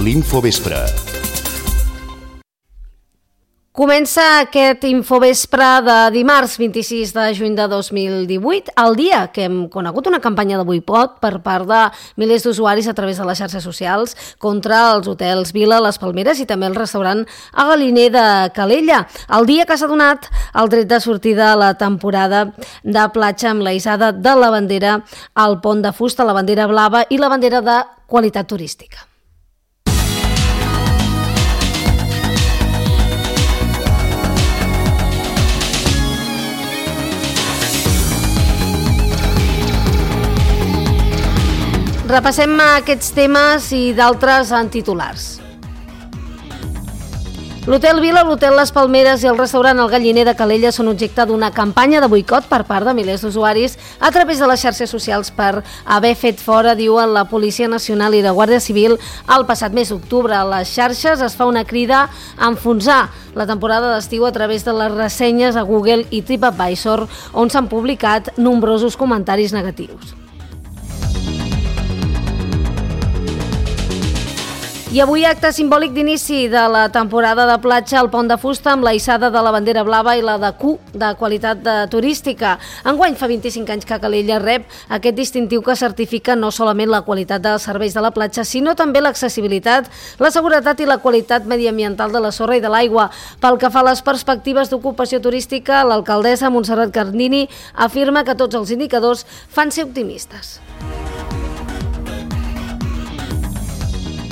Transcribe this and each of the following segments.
l'Infovespre. Comença aquest Infovespre de dimarts 26 de juny de 2018, el dia que hem conegut una campanya de boicot per part de milers d'usuaris a través de les xarxes socials contra els hotels Vila, les Palmeres i també el restaurant a Galliner de Calella. El dia que s'ha donat el tret de sortida a la temporada de platja amb la hissada de la bandera al pont de fusta, la bandera blava i la bandera de qualitat turística. Repassem aquests temes i d'altres en titulars. L'Hotel Vila, l'Hotel Les Palmeres i el restaurant El Galliner de Calella són objecte d'una campanya de boicot per part de milers d'usuaris a través de les xarxes socials per haver fet fora, diuen la Policia Nacional i la Guàrdia Civil, el passat mes d'octubre. A les xarxes es fa una crida a enfonsar la temporada d'estiu a través de les ressenyes a Google i TripAdvisor, on s'han publicat nombrosos comentaris negatius. I avui acte simbòlic d'inici de la temporada de platja al Pont de Fusta amb la hissada de la bandera blava i la de Q de qualitat turística. Enguany fa 25 anys que Calella rep aquest distintiu que certifica no solament la qualitat dels serveis de la platja, sinó també l'accessibilitat, la seguretat i la qualitat mediambiental de la sorra i de l'aigua. Pel que fa a les perspectives d'ocupació turística, l'alcaldessa Montserrat Cardini afirma que tots els indicadors fan ser optimistes.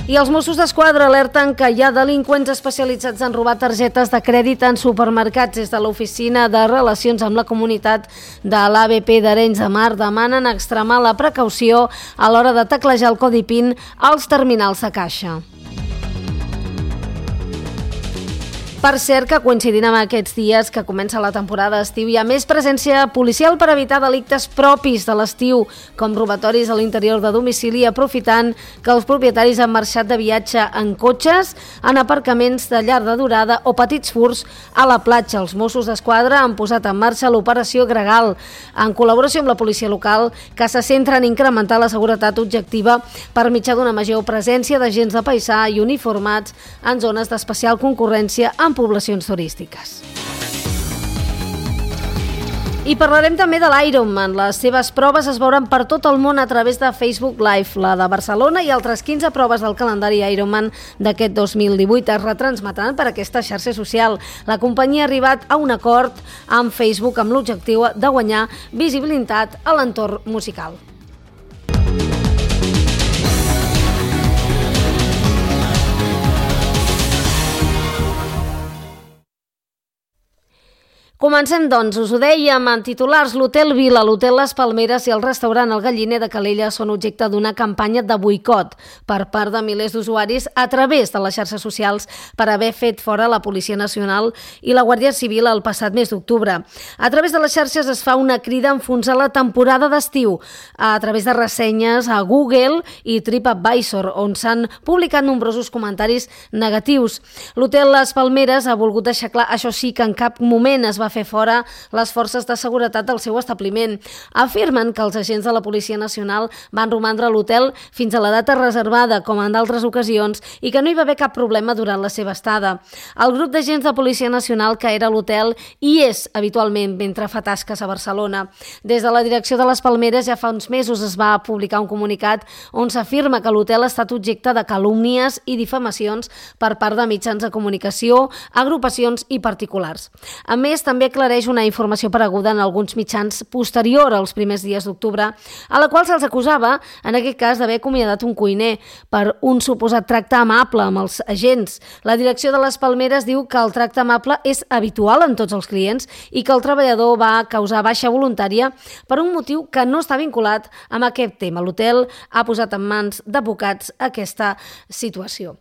I els Mossos d'Esquadra alerten que hi ha delinqüents especialitzats en robar targetes de crèdit en supermercats. Des de l'Oficina de Relacions amb la Comunitat de l'ABP d'Arenys de Mar demanen extremar la precaució a l'hora de teclejar el codi PIN als terminals de caixa. Per cert, que coincidint amb aquests dies que comença la temporada d'estiu hi ha més presència policial per evitar delictes propis de l'estiu, com robatoris a l'interior de domicili, aprofitant que els propietaris han marxat de viatge en cotxes, en aparcaments de llarga durada o petits furts a la platja. Els Mossos d'Esquadra han posat en marxa l'operació Gregal, en col·laboració amb la policia local, que se centra en incrementar la seguretat objectiva per mitjà d'una major presència d'agents de paisà i uniformats en zones d'especial concurrència en poblacions turístiques. I parlarem també de l'Ironman. Les seves proves es veuran per tot el món a través de Facebook Live. La de Barcelona i altres 15 proves del calendari Ironman d'aquest 2018 es retransmetran per aquesta xarxa social. La companyia ha arribat a un acord amb Facebook amb l'objectiu de guanyar visibilitat a l'entorn musical. Comencem, doncs, us ho dèiem en titulars. L'Hotel Vila, l'Hotel Les Palmeres i el restaurant El Galliner de Calella són objecte d'una campanya de boicot per part de milers d'usuaris a través de les xarxes socials per haver fet fora la Policia Nacional i la Guàrdia Civil el passat mes d'octubre. A través de les xarxes es fa una crida a enfonsar la temporada d'estiu a través de ressenyes a Google i TripAdvisor, on s'han publicat nombrosos comentaris negatius. L'Hotel Les Palmeres ha volgut deixar clar, això sí, que en cap moment es va fer fora les forces de seguretat del seu establiment. Afirmen que els agents de la Policia Nacional van romandre a l'hotel fins a la data reservada, com en d'altres ocasions, i que no hi va haver cap problema durant la seva estada. El grup d'agents de Policia Nacional que era a l'hotel hi és habitualment mentre fa tasques a Barcelona. Des de la direcció de les Palmeres ja fa uns mesos es va publicar un comunicat on s'afirma que l'hotel ha estat objecte de calúmnies i difamacions per part de mitjans de comunicació, agrupacions i particulars. A més, també aclareix una informació apareguda en alguns mitjans posterior als primers dies d'octubre, a la qual se'ls acusava, en aquest cas, d'haver acomiadat un cuiner per un suposat tracte amable amb els agents. La direcció de les Palmeres diu que el tracte amable és habitual en tots els clients i que el treballador va causar baixa voluntària per un motiu que no està vinculat amb aquest tema. L'hotel ha posat en mans d'advocats aquesta situació.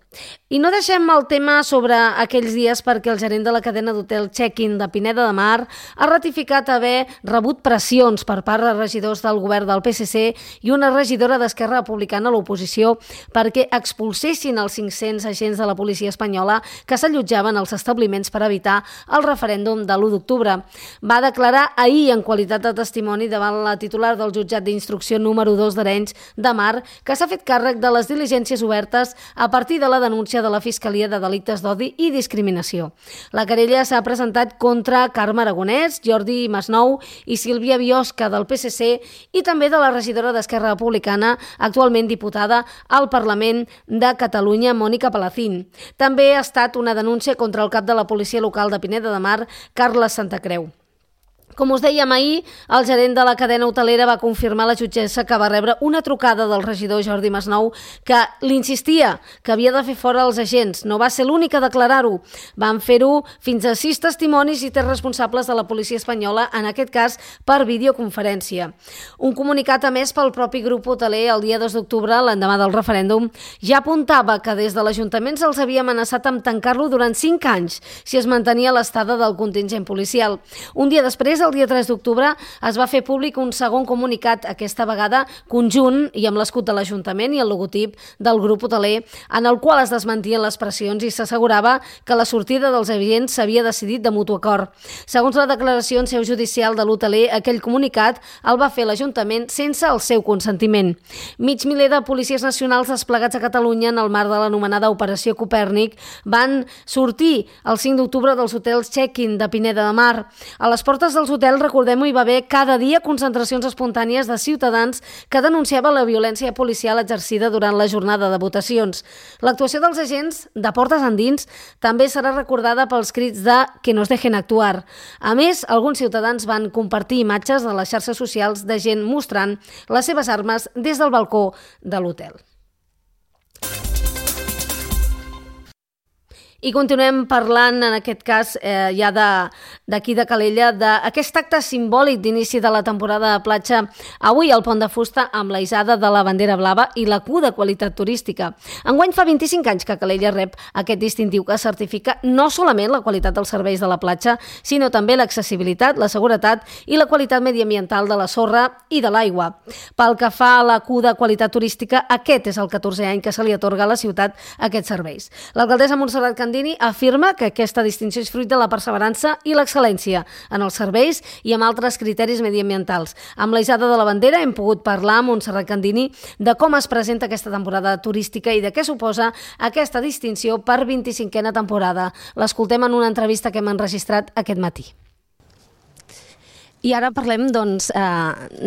I no deixem el tema sobre aquells dies perquè el gerent de la cadena d'hotel Check-in de Pineda de Mar ha ratificat haver rebut pressions per part de regidors del govern del PSC i una regidora d'Esquerra Republicana a l'oposició perquè expulsessin els 500 agents de la policia espanyola que s'allotjaven als establiments per evitar el referèndum de l'1 d'octubre. Va declarar ahir en qualitat de testimoni davant la titular del jutjat d'instrucció número 2 d'Arenys de Mar que s'ha fet càrrec de les diligències obertes a partir de la denúncia de la Fiscalia de Delictes d'Odi i Discriminació. La querella s'ha presentat contra Carme Aragonès, Jordi Masnou i Sílvia Biosca del PSC i també de la regidora d'Esquerra Republicana, actualment diputada al Parlament de Catalunya, Mònica Palacín. També ha estat una denúncia contra el cap de la policia local de Pineda de Mar, Carles Santacreu. Com us dèiem ahir, el gerent de la cadena hotelera va confirmar a la jutgessa que va rebre una trucada del regidor Jordi Masnou que l'insistia que havia de fer fora els agents. No va ser l'únic a declarar-ho. Van fer-ho fins a 6 testimonis i 3 responsables de la policia espanyola, en aquest cas per videoconferència. Un comunicat emès pel propi grup hoteler el dia 2 d'octubre, l'endemà del referèndum, ja apuntava que des de l'Ajuntament se'ls havia amenaçat amb tancar-lo durant 5 anys si es mantenia l'estada del contingent policial. Un dia després, el dia 3 d'octubre, es va fer públic un segon comunicat, aquesta vegada conjunt i amb l'escut de l'Ajuntament i el logotip del grup hoteler, en el qual es desmentien les pressions i s'assegurava que la sortida dels agents s'havia decidit de mutu acord. Segons la declaració en seu judicial de l'hoteler, aquell comunicat el va fer l'Ajuntament sense el seu consentiment. Mig miler de policies nacionals desplegats a Catalunya en el marc de l'anomenada Operació Copèrnic van sortir el 5 d'octubre dels hotels Check-in de Pineda de Mar. A les portes dels hotels, recordem-ho, hi va haver cada dia concentracions espontànies de ciutadans que denunciaven la violència policial exercida durant la jornada de votacions. L'actuació dels agents de portes endins també serà recordada pels crits de «que nos dejen actuar». A més, alguns ciutadans van compartir imatges a les xarxes socials de gent mostrant les seves armes des del balcó de l'hotel. I continuem parlant, en aquest cas, ja d'aquí de Calella, d'aquest acte simbòlic d'inici de la temporada de platja avui al Pont de Fusta amb la hissada de la bandera blava i la Q de qualitat turística. Enguany fa 25 anys que Calella rep aquest distintiu que certifica no solament la qualitat dels serveis de la platja, sinó també l'accessibilitat, la seguretat i la qualitat mediambiental de la sorra i de l'aigua. Pel que fa a la Q de qualitat turística, aquest és el 14è any que se li atorga a la ciutat aquests serveis. L'alcaldessa Montserrat Candini afirma que aquesta distinció és fruit de la perseverança i l'excel·lència en els serveis i amb altres criteris mediambientals. Amb la hissada de la bandera hem pogut parlar amb Montserrat Candini de com es presenta aquesta temporada turística i de què suposa aquesta distinció per 25a temporada. L'escoltem en una entrevista que hem enregistrat aquest matí. I ara parlem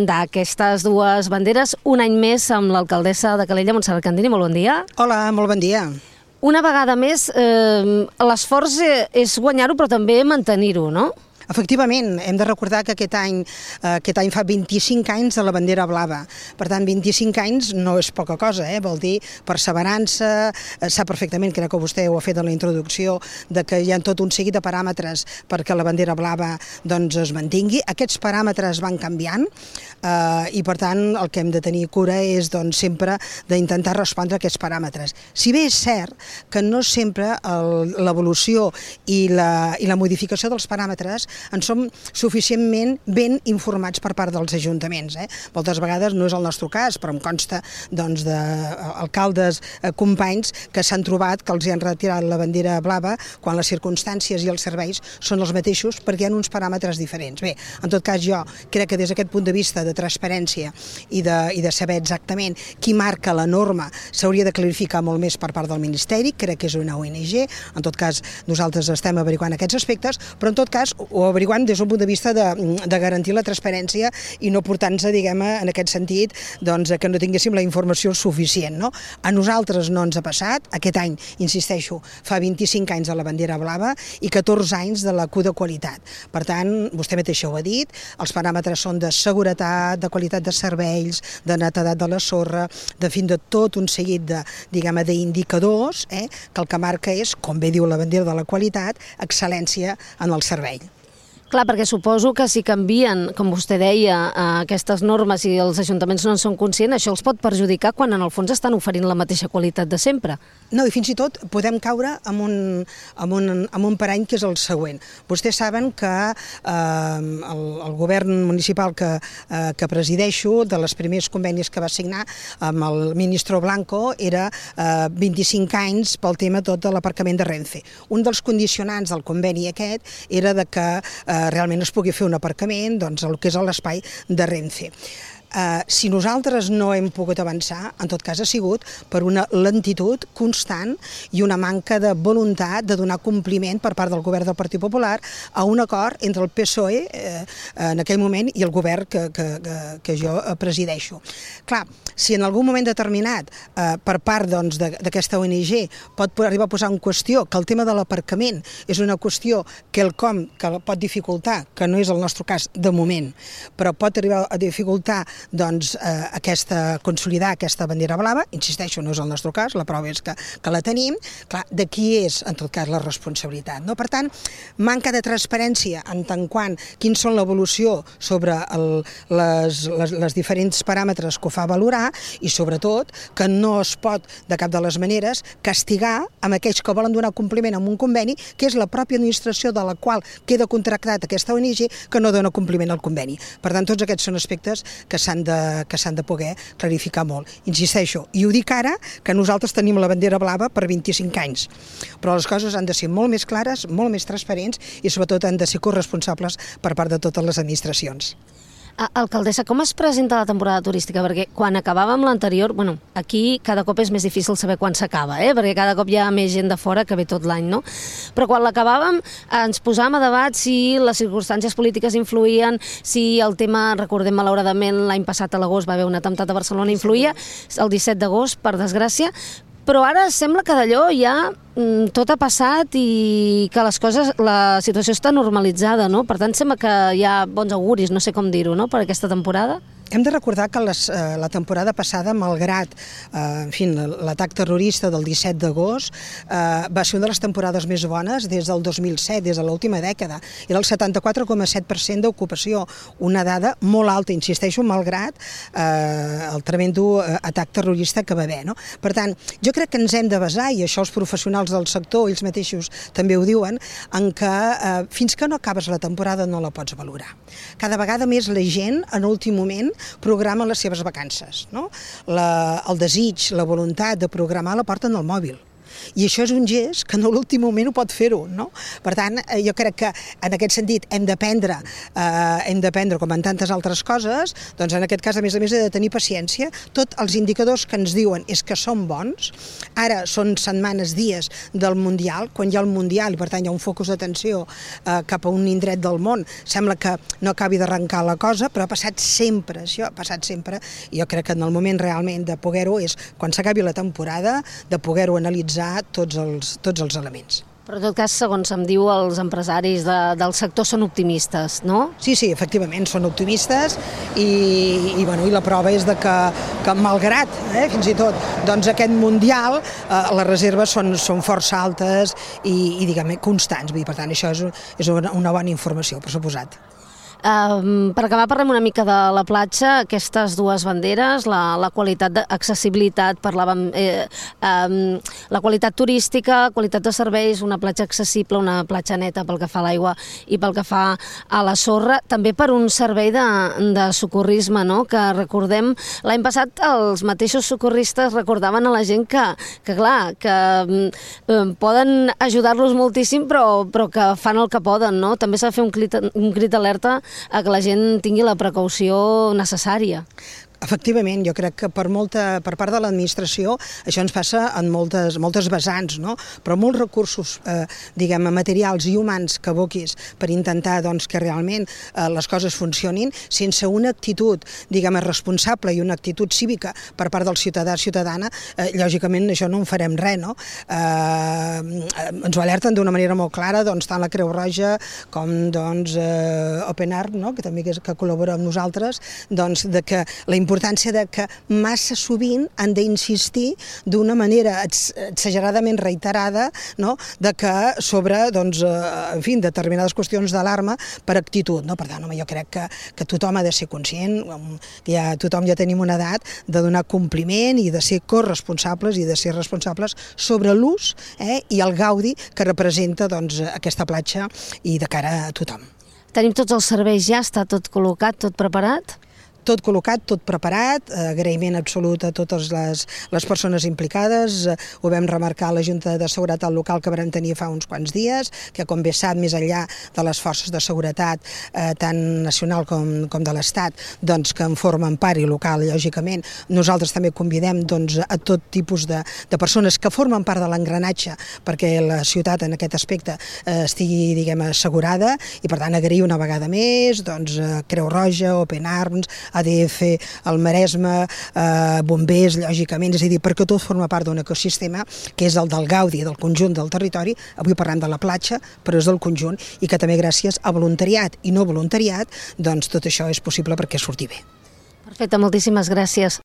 d'aquestes dues banderes un any més amb l'alcaldessa de Calella, Montserrat Candini. Molt bon dia. Hola, molt bon dia. Una vegada més, l'esforç és guanyar-ho, però també mantenir-ho, no? Efectivament, hem de recordar que aquest any fa 25 anys de la bandera blava. Per tant, 25 anys no és poca cosa, vol dir perseverança, sap perfectament, crec que vostè ho ha fet en la introducció, de que hi ha tot un seguit de paràmetres perquè la bandera blava es mantingui. Aquests paràmetres van canviant i, per tant, el que hem de tenir cura és sempre d'intentar respondre a aquests paràmetres. Si bé és cert que no sempre l'evolució i la modificació dels paràmetres en som suficientment ben informats per part dels ajuntaments. Moltes vegades no és el nostre cas, però em consta d'alcaldes companys que s'han trobat que els han retirat la bandera blava quan les circumstàncies i els serveis són els mateixos perquè hi ha uns paràmetres diferents. Bé, en tot cas jo crec que des d'aquest punt de vista de transparència i de saber exactament qui marca la norma s'hauria de clarificar molt més per part del Ministeri, crec que és una ONG, en tot cas nosaltres estem averiguant aquests aspectes, però en tot cas ho averiguant des d'un punt de vista de garantir la transparència i no portar-nos, en aquest sentit, que no tinguéssim la informació suficient. A nosaltres no ens ha passat. Aquest any, insisteixo, fa 25 anys de la bandera blava i 14 anys de la Q de qualitat. Per tant, vostè mateixa ho ha dit, els paràmetres són de seguretat, de qualitat de serveis, de netedat de la sorra, de fin de tot un seguit d'indicadors que el que marca és, com bé diu la bandera de la qualitat, excel·lència en el servei. Clar, perquè suposo que si canvien, com vostè deia, aquestes normes i els ajuntaments no en són conscients, això els pot perjudicar quan en el fons estan oferint la mateixa qualitat de sempre. No, i fins i tot podem caure en un parany que és el següent. Vostès saben que el govern municipal que presideixo, de les primers convenis que va signar amb el ministre Blanco, era 25 anys pel tema tot de l'aparcament de Renfe. Un dels condicionants del conveni aquest era de que realment es pugui fer un aparcament el que és l'espai de Renfe. Si nosaltres no hem pogut avançar, en tot cas ha sigut per una lentitud constant i una manca de voluntat de donar compliment per part del govern del Partit Popular a un acord entre el PSOE en aquell moment i el govern que jo presideixo. Clar, si en algun moment determinat per part d'aquesta ONG pot arribar a posar en qüestió que el tema de l'aparcament és una qüestió que pot dificultar, que no és el nostre cas de moment, però pot arribar a dificultar consolidar aquesta bandera blava, insisteixo, no és el nostre cas, la prova és que la tenim, clar, de qui és, en tot cas, la responsabilitat, no? Per tant, manca de transparència en tant quant quins són l'evolució sobre les diferents paràmetres que ho fa valorar i, sobretot, que no es pot, de cap de les maneres, castigar amb aquells que volen donar compliment a un conveni, que és la pròpia administració de la qual queda contractat aquesta ONG que no dona compliment al conveni. Per tant, tots aquests són aspectes que s'han de poder clarificar molt. Insisteixo, i ho dic ara, que nosaltres tenim la bandera blava per 25 anys, però les coses han de ser molt més clares, molt més transparents i sobretot han de ser corresponsables per part de totes les administracions. Alcaldessa, com es presenta la temporada turística? Perquè quan acabàvem l'anterior, aquí cada cop és més difícil saber quan s'acaba, perquè cada cop hi ha més gent de fora que ve tot l'any, no? Però quan l'acabàvem ens posàvem a debat si les circumstàncies polítiques influïen, si el tema, recordem malauradament l'any passat a l'agost va haver un atemptat a Barcelona, influïa, el 17 d'agost, per desgràcia, però ara sembla que d'allò ja tot ha passat i que la situació està normalitzada, no? Per tant, sembla que hi ha bons auguris, no sé com dir-ho, no?, per aquesta temporada. Hem de recordar que la temporada passada, malgrat l'atac terrorista del 17 d'agost, va ser una de les temporades més bones des del 2007, des de l'última dècada. Era el 74,7% d'ocupació, una dada molt alta, insisteixo, malgrat el tremendo atac terrorista que va haver, no? Per tant, jo crec que ens hem de basar, i això els professionals del sector, ells mateixos també ho diuen, en que fins que no acabes la temporada no la pots valorar. Cada vegada més la gent, en últim moment, programa les seves vacances, no? El desig, la voluntat de programar la porten al mòbil. I això és un gest que en l'últim moment ho pot fer-ho, no? Per tant, jo crec que en aquest sentit hem d'aprendre, com en tantes altres coses, doncs en aquest cas, a més, he de tenir paciència. Tots els indicadors que ens diuen és que són bons. Ara són setmanes, dies del Mundial, quan hi ha el Mundial i per tant hi ha un focus d'atenció cap a un indret del món, sembla que no acabi d'arrencar la cosa, però ha passat sempre, això ha passat sempre, i jo crec que en el moment realment de poder-ho és quan s'acabi la temporada, de poder-ho analitzar tots els elements. Però en tot cas, segons em diu, els empresaris del sector són optimistes, no? Sí, efectivament, són optimistes i la prova és que malgrat, fins i tot, doncs aquest Mundial, les reserves són força altes i diguem-ne, constants. Per tant, això és una bona informació, per suposat. Per acabar, parlem una mica de la platja, aquestes dues banderes, la qualitat d'accessibilitat, parlàvem, la qualitat turística, qualitat de serveis, una platja accessible, una platja neta pel que fa a l'aigua i pel que fa a la sorra, també per un servei de socorrisme, no? Que recordem, l'any passat els mateixos socorristes recordaven a la gent que clar, que poden ajudar-los moltíssim, però que fan el que poden, no? També s'ha de fer un crit d'alerta a que la gent tingui la precaució necessària. Efectivament, jo crec que per part de l'administració això ens passa en moltes vessants, no? Però molts recursos, materials i humans que aboquis per intentar que realment les coses funcionin, sense una actitud, responsable i una actitud cívica per part del ciutadana, lògicament això no en farem res, no? Ens ho alerten d'una manera molt clara, tant la Creu Roja com Open Art, que també que col·labora amb nosaltres, de que la importància de que massa sovint han d'insistir d'una manera exageradament reiterada, no? De que sobre, doncs, en fi, determinades qüestions d'alarma per actitud, no? Per tant, home, jo crec que tothom ha de ser conscient, que tothom ja tenim una edat de donar compliment i de ser corresponsables i de ser responsables sobre l'ús i el gaudi que representa, doncs, aquesta platja i de cara a tothom. Tenim tots els serveis ja? Està tot col·locat, tot preparat? Tot col·locat, tot preparat, agraïment absolut a totes les persones implicades. Ho vam remarcar a la Junta de Seguretat Local que vam tenir fa uns quants dies, que com bé sap, més enllà de les forces de seguretat, tant nacional com de l'Estat, doncs, que en formen part i local, lògicament, nosaltres també convidem, doncs, a tot tipus de persones que formen part de l'engranatge perquè la ciutat en aquest aspecte estigui, diguem, assegurada, i per tant agrair una vegada més, doncs, Creu Roja, Open Arms, ADF, el Maresme, bombers, lògicament, és a dir, perquè tot forma part d'un ecosistema que és el del gaudi del conjunt del territori. Avui parlem de la platja, però és del conjunt, i que també gràcies a voluntariat i no voluntariat, doncs tot això és possible perquè surti bé. Perfecte, moltíssimes gràcies.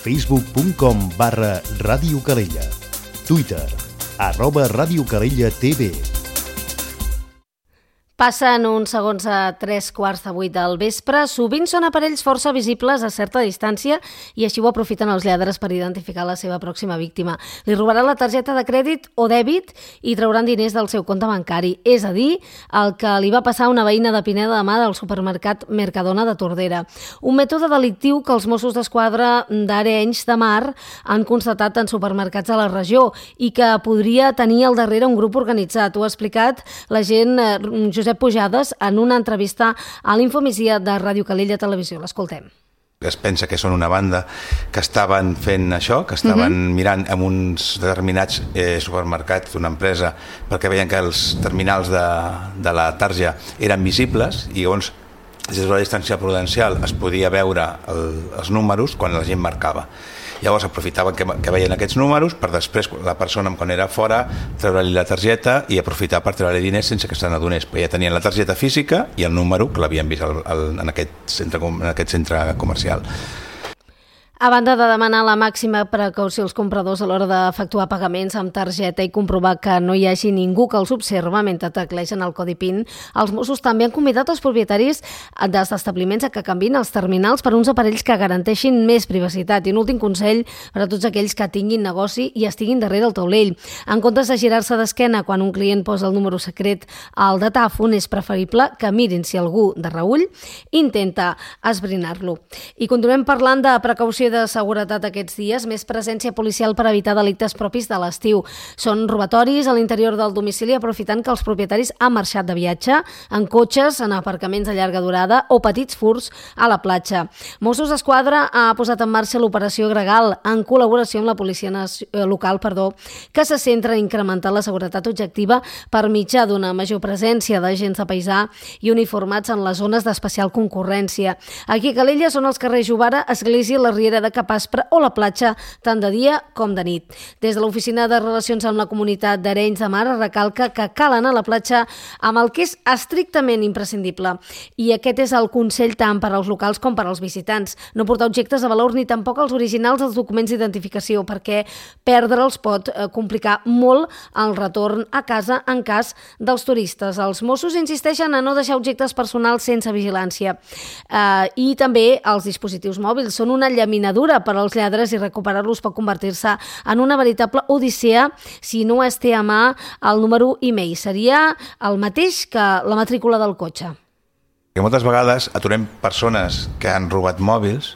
Facebook.com/Ràdio Calella. Twitter, @Ràdio Calella TV. Passen uns segons a 3:15 del vespre. Sovint són aparells força visibles a certa distància i així ho aprofiten els lladres per identificar la seva pròxima víctima. Li robaran la targeta de crèdit o dèbit i trauran diners del seu compte bancari. És a dir, el que li va passar a una veïna de Pineda de Mar del supermercat Mercadona de Tordera. Un mètode delictiu que els Mossos d'Esquadra d'Arenys de Mar han constatat en supermercats de la regió i que podria tenir al darrere un grup organitzat. Ho ha explicat l'agent Josep Pujades en una entrevista a l'Infomigdia de Ràdio Calella Televisió. L'escoltem. Es pensa que són una banda que estaven fent això, que estaven mirant en uns determinats supermercats d'una empresa perquè veien que els terminals de la tarja eren visibles i llavors des de la distància prudencial es podia veure els números quan la gent marcava. Llavors aprofitaven que veien aquests números per després, la persona quan era fora, treure-li la targeta i aprofitar per treure-li diners sense que se n'adonés. Ja tenien la targeta física i el número que l'havien vist en aquest centre comercial. A banda de demanar la màxima precaució als compradors a l'hora d'efectuar pagaments amb targeta i comprovar que no hi hagi ningú que els observa mentre teclegen el codi PIN, els Mossos també han convidat els propietaris dels establiments a que canviïn els terminals per uns aparells que garanteixin més privacitat. I un últim consell per a tots aquells que tinguin negoci i estiguin darrere el taulell. En comptes de girar-se d'esquena quan un client posa el número secret al datàfon, és preferible que mirin si algú de reüll intenta esbrinar-lo. I continuem parlant de precaució de seguretat aquests dies, més presència policial per evitar delictes propis de l'estiu. Són robatoris a l'interior del domicili aprofitant que els propietaris han marxat de viatge, en cotxes, en aparcaments de llarga durada o petits furts a la platja. Mossos d'Esquadra ha posat en marxa l'operació Gregal en col·laboració amb la policia local, que se centra en incrementar la seguretat objectiva per mitjà d'una major presència d'agents de paisà i uniformats en les zones d'especial concurrència. Aquí a Calella són els carrers Jovara, Església, la Riera de Capaspre o la platja, tant de dia com de nit. Des de l'Oficina de Relacions amb la Comunitat d'Arenys de Mar recalca que cal anar a la platja amb el que és estrictament imprescindible. I aquest és el consell tant per als locals com per als visitants. No portar objectes de valor ni tampoc els originals dels documents d'identificació, perquè perdre'ls pot complicar molt el retorn a casa en cas dels turistes. Els Mossos insisteixen a no deixar objectes personals sense vigilància. I també els dispositius mòbils són una llaminadura per als lladres i recuperar-los pot convertir-se en una veritable odissea si no es té a mà el número e-mail. Seria el mateix que la matrícula del cotxe. Moltes vegades aturem persones que han robat mòbils,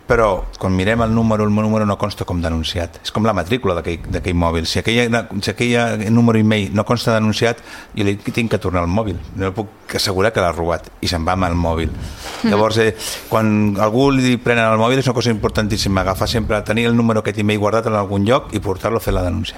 però quan mirem el número no consta com denunciat. És com la matrícula d'aquell mòbil. Si aquell número e-mail no consta denunciat, jo li tinc que tornar el mòbil. No puc assegurar que l'ha robat i se'n va amb el mòbil. Llavors, quan algú li prenen el mòbil és una cosa importantíssima, agafar sempre, tenir el número aquest e-mail guardat en algun lloc i portar-lo a fer la denúncia.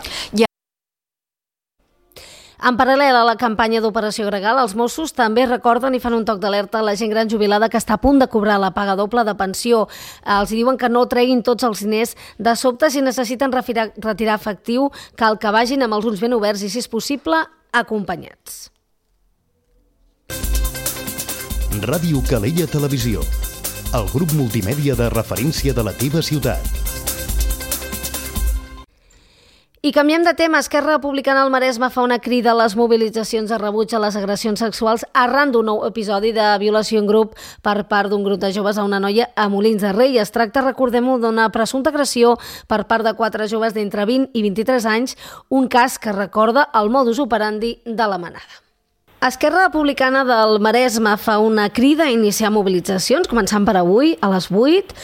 En paral·lel a la campanya d'Operació Gregal, els Mossos també recorden i fan un toc d'alerta a la gent gran jubilada que està a punt de cobrar la paga doble de pensió. Els diuen que no treguin tots els diners de sobte si necessiten retirar efectiu, cal que vagin amb els ulls ben oberts i, si és possible, acompanyats. Ràdio Calella Televisió. el grup multimèdia de referència de la teva ciutat. I canviem de tema. Esquerra Republicana al Maresme fa una crida a les mobilitzacions de rebuig a les agressions sexuals arran d'un nou episodi de violació en grup per part d'un grup de joves a una noia a Molins de Rei. Es tracta, recordem-ho, d'una presumpta agressió per part de 4 joves d'entre 20 i 23 anys, un cas que recorda el modus operandi de la manada. Esquerra Republicana del Maresme fa una crida a iniciar mobilitzacions, començant per avui, a les 8,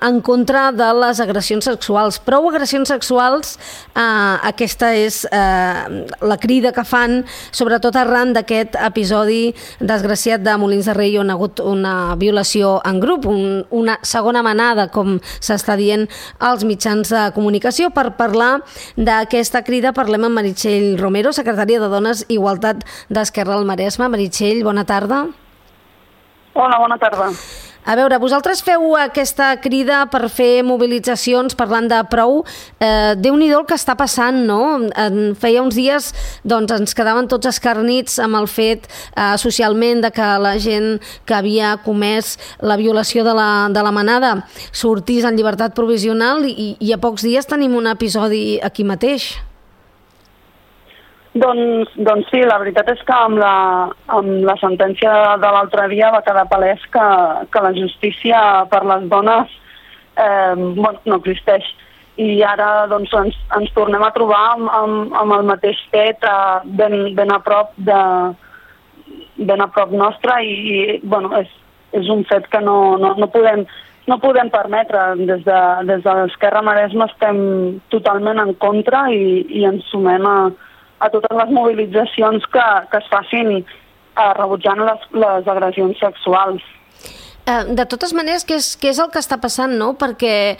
en contra de les agressions sexuals. Prou agressions sexuals, aquesta és la crida que fan, sobretot arran d'aquest episodi desgraciat de Molins de Rei, on ha hagut una violació en grup, una segona manada, com s'està dient als mitjans de comunicació. Per parlar d'aquesta crida parlem amb Meritxell Romero, secretària de Dones i Igualtat d'Esquerra al Maresme. Meritxell, bona tarda. Hola, bona tarda. A veure, vosaltres feu aquesta crida per fer mobilitzacions parlant de prou. Déu-n'hi-do el que està passant, no? Feia uns dies doncs, ens quedaven tots escarnits amb el fet socialment de que la gent que havia comès la violació de la manada sortís en llibertat provisional i a pocs dies tenim un episodi aquí mateix. Doncs sí, la veritat és que amb la sentència de l'altre dia va quedar palès que la justícia per les dones no existeix. I ara doncs, ens tornem a trobar amb el mateix fet ben a prop nostre i és un fet que no podem permetre. Des de l'Esquerra Maresme estem totalment en contra i ens sumem a totes les mobilitzacions que es facin rebutjant les agressions sexuals. De totes maneres, què és el que està passant, no? Perquè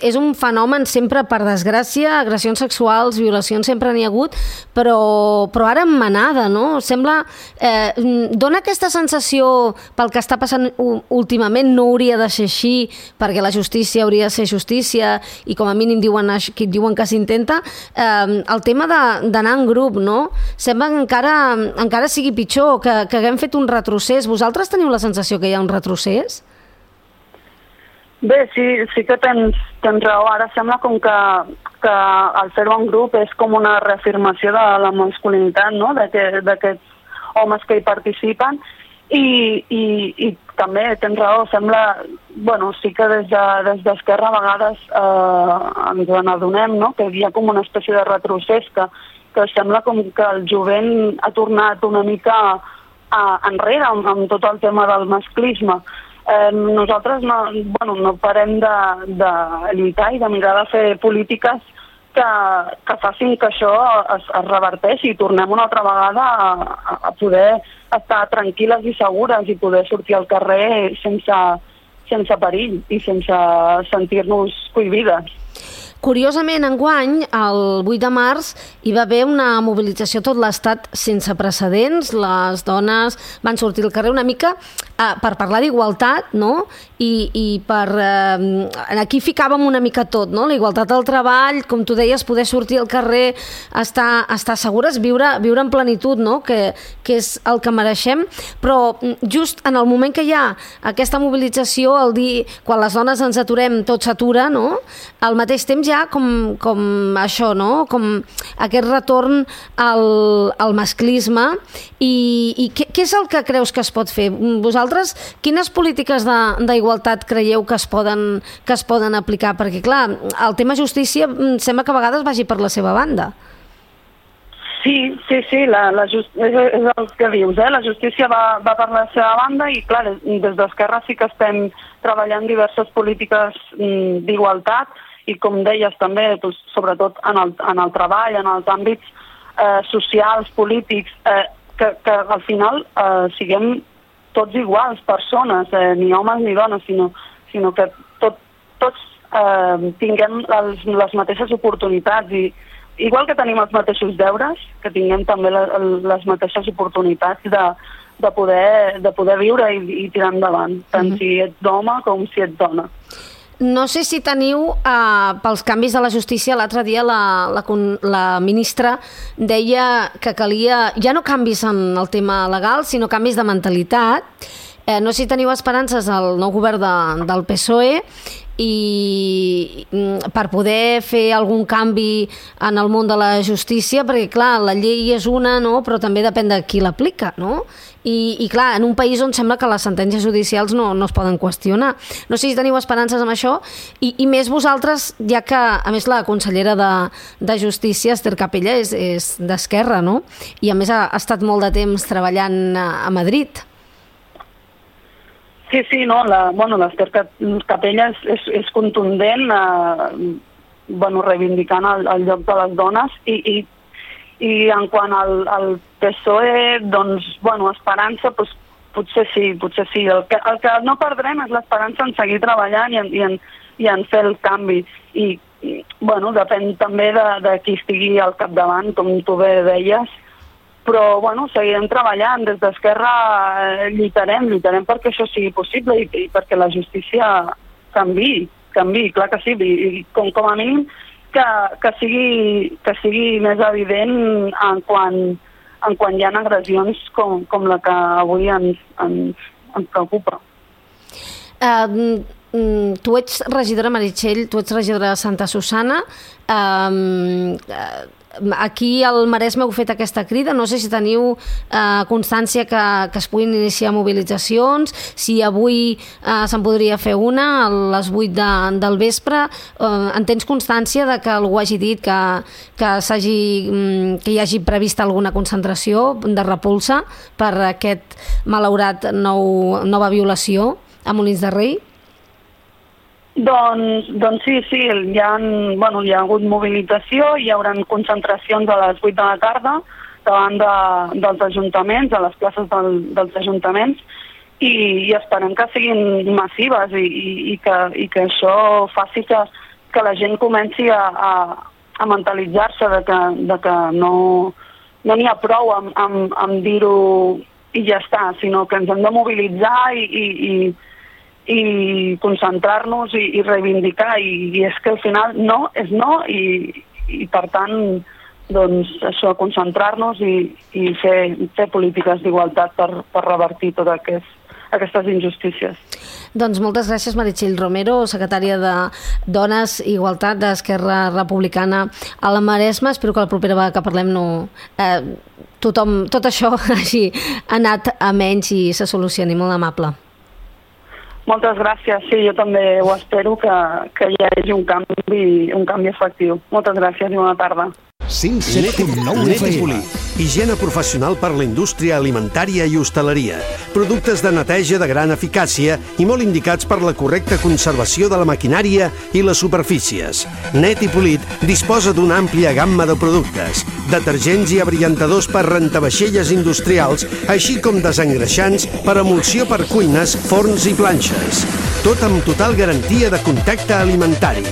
és un fenomen sempre, per desgràcia, agressions sexuals, violacions sempre n'hi ha hagut, però ara en manada, no? Sembla... dona aquesta sensació pel que està passant últimament, no hauria de ser així, perquè la justícia hauria de ser justícia i com a mínim diuen que s'intenta. El tema d'anar en grup, no? Sembla que encara sigui pitjor, que haguem fet un retrocés. Vosaltres teniu la sensació que hi ha un retrocés? Bé, sí que tens raó. Ara sembla com que el fer-ho en grup és com una reafirmació de la masculinitat, no? D'aquests homes que hi participen i també tens raó. Sembla, sí que des d'Esquerra a vegades ens n'adonem, no? Que hi ha com una espècie de retrocés, que sembla com que el jovent ha tornat una mica enrere amb tot el tema del masclisme. Nosaltres no parem de lluitar i de mirar de fer polítiques que facin que això es reverteixi i tornem una altra vegada a poder estar tranquil·les i segures i poder sortir al carrer sense perill i sense sentir-nos cohibides. Curiosament, enguany, el 8 de març, hi va haver una mobilització a tot l'Estat sense precedents. Les dones van sortir al carrer una mica per parlar d'igualtat, no? I per... Aquí ficàvem una mica tot, no? La igualtat al treball, com tu deies, poder sortir al carrer, estar segures, viure en plenitud, no? Que és el que mereixem. Però just en el moment que hi ha aquesta mobilització, quan les dones ens aturem, tot s'atura, no? Al mateix temps ja com això, no? Com aquest retorn al masclisme. I què és el que creus que es pot fer? Vosaltres, quines polítiques d'igualtat creieu que es poden aplicar? Perquè, clar, el tema justícia sembla que a vegades vagi per la seva banda. Sí, és el que dius, la justícia va per la seva banda i, clar, des d'Esquerra sí que estem treballant diverses polítiques d'igualtat i, com deies també, sobretot en el treball, en els àmbits socials, polítics, que al final siguem tots iguals, persones, ni homes ni dones, sinó que tots tinguem les mateixes oportunitats i igual que tenim els mateixos deures, que tinguem també les mateixes oportunitats de poder viure i tirar endavant, tant si ets home com si ets dona. No sé si teniu, pels canvis de la justícia, l'altre dia la ministra deia que calia ja no canvis en el tema legal, sinó canvis de mentalitat. No sé si teniu esperances al nou govern del PSOE i per poder fer algun canvi en el món de la justícia, perquè clar, la llei és una, no? Però també depèn de qui l'aplica, no? I clar, en un país on sembla que les sentències judicials no es poden qüestionar. No sé si teniu esperances amb això i més vosaltres, ja que a més la consellera de Justícia, Ester Capella, és d'Esquerra, no? I a més ha estat molt de temps treballant a Madrid. Sí, no, l'Ester Capella és contundent, reivindicant el lloc de les dones i en quant al PSOE, doncs, esperança, doncs, potser sí. El que no perdrem és l'esperança en seguir treballant i en fer el canvi. I depèn també de qui estigui al capdavant, com tu bé deies, però seguirem treballant. Des d'Esquerra lluitarem perquè això sigui possible i perquè la justícia canviï, clar que sí, i com a mínim que sigui més evident en quan hi ha agressions com la que avui ens preocupa. Tu ets regidora, Meritxell, tu ets regidora de Santa Susana. Aquí al Maresme heu fet aquesta crida, no sé si teniu constància que es puguin iniciar mobilitzacions, si avui se'n podria fer una a les 8 del vespre. En tens constància de que algú hagi dit que hi hagi prevista alguna concentració de repulsa per aquest malaurat nova violació a Molins de Rei? Doncs sí, hi ha hagut mobilització, hi haurà concentracions a les 8 de la tarda davant dels ajuntaments, a les places dels ajuntaments, i esperem que siguin massives i que això faci que la gent comenci a mentalitzar-se de que no n'hi ha prou amb dir-ho i ja està, sinó que ens hem de mobilitzar i concentrar-nos i reivindicar, i és que al final no és no, i per tant, doncs això, concentrar-nos i fer polítiques d'igualtat per revertir totes aquestes injustícies. Doncs moltes gràcies, Meritxell Romero, secretària de Dones i Igualtat d'Esquerra Republicana a la Maresme. Espero que la propera vegada que parlem tot això hagi anat a menys i se solucioni. Molt amable. Moltes gràcies, sí, jo també ho espero, que hi hagi un canvi efectiu. Moltes gràcies i bona tarda. 107.9 FM. Higiene professional per la indústria alimentària i hostaleria. Productes de neteja de gran eficàcia i molt indicats per la correcta conservació de la maquinària i les superfícies. Net i Polit disposa d'una àmplia gamma de productes, detergents i abriantadors per rentavaixelles industrials, així com desengreixants per emulsió per cuines, forns i planxes. Tot amb total garantia de contacte alimentari.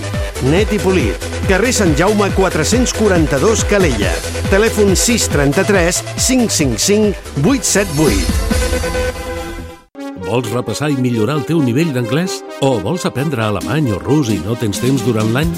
Net i Polit, carrer Sant Jaume 442 Calella. Telèfon 633 555 878. Vols repassar i millorar el teu nivell d'anglès? O vols aprendre alemany o rus i no tens temps durant l'any?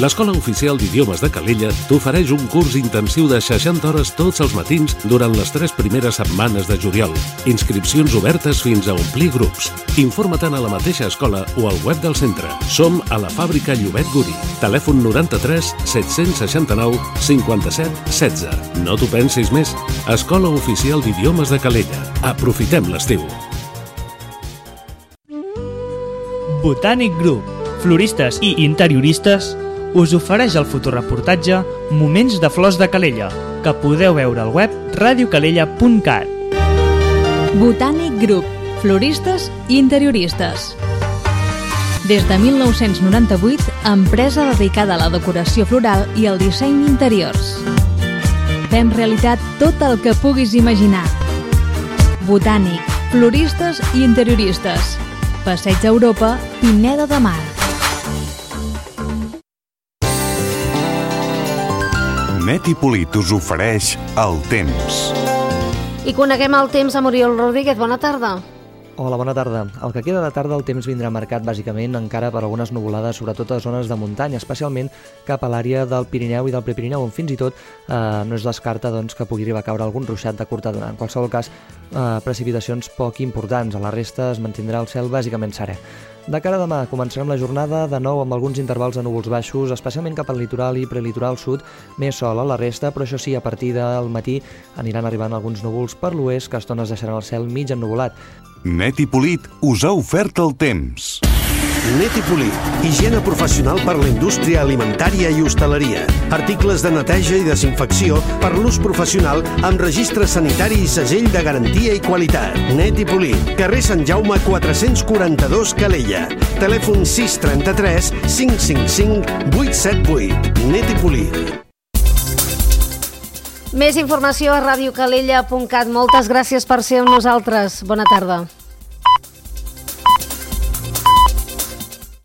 L'Escola Oficial d'Idiomes de Calella t'ofereix un curs intensiu de 60 hores tots els matins durant les 3 primeres setmanes de juliol. Inscripcions obertes fins a omplir grups. Informa-te'n a la mateixa escola o al web del centre. Som a la fàbrica Llobet Guri. Telèfon 93 769 57 16. No t'ho pensis més. Escola Oficial d'Idiomes de Calella. Aprofitem l'estiu. Botànic Group, floristes i interioristes, us ofereix el fotoreportatge Moments de flors de Calella, que podeu veure al web radiocalella.cat. Botànic Group, floristes i interioristes. Des de 1998, empresa dedicada a la decoració floral i al disseny d'interiors. Fem realitat tot el que puguis imaginar. Botànic, floristes i interioristes. Passeig Europa, Pineda de Mar. Net i Polit us ofereix el temps. I coneguem el temps amb Oriol Rodríguez. Bona tarda. Hola, bona tarda. El que queda de tarda el temps vindrà marcat bàsicament encara per algunes nuvolades, sobretot a zones de muntanya, especialment cap a l'àrea del Pirineu i del Prepirineu, on fins i tot no es descarta que pugui arribar a caure algun ruixat de curta durada. En qualsevol cas, precipitacions poc importants. A la resta es mantindrà el cel bàsicament serè. De cara a demà, començarem la jornada de nou amb alguns intervals de núvols baixos, especialment cap al litoral i prelitoral sud, més sol a la resta, però això sí, a partir del matí aniran arribant alguns núvols per l'oest que a estones deixaran el cel mig ennuvolat. Net i Polit us ha ofert el temps. Net i Polit, higiene professional per la indústria alimentària i hostaleria. Articles de neteja i desinfecció per l'ús professional amb registre sanitari i segell de garantia i qualitat. Net i Polit, carrer Sant Jaume 442 Calella. Telèfon 633 555 878. Net i Polit. Més informació a radiocalella.cat. Moltes gràcies per ser amb nosaltres. Bona tarda.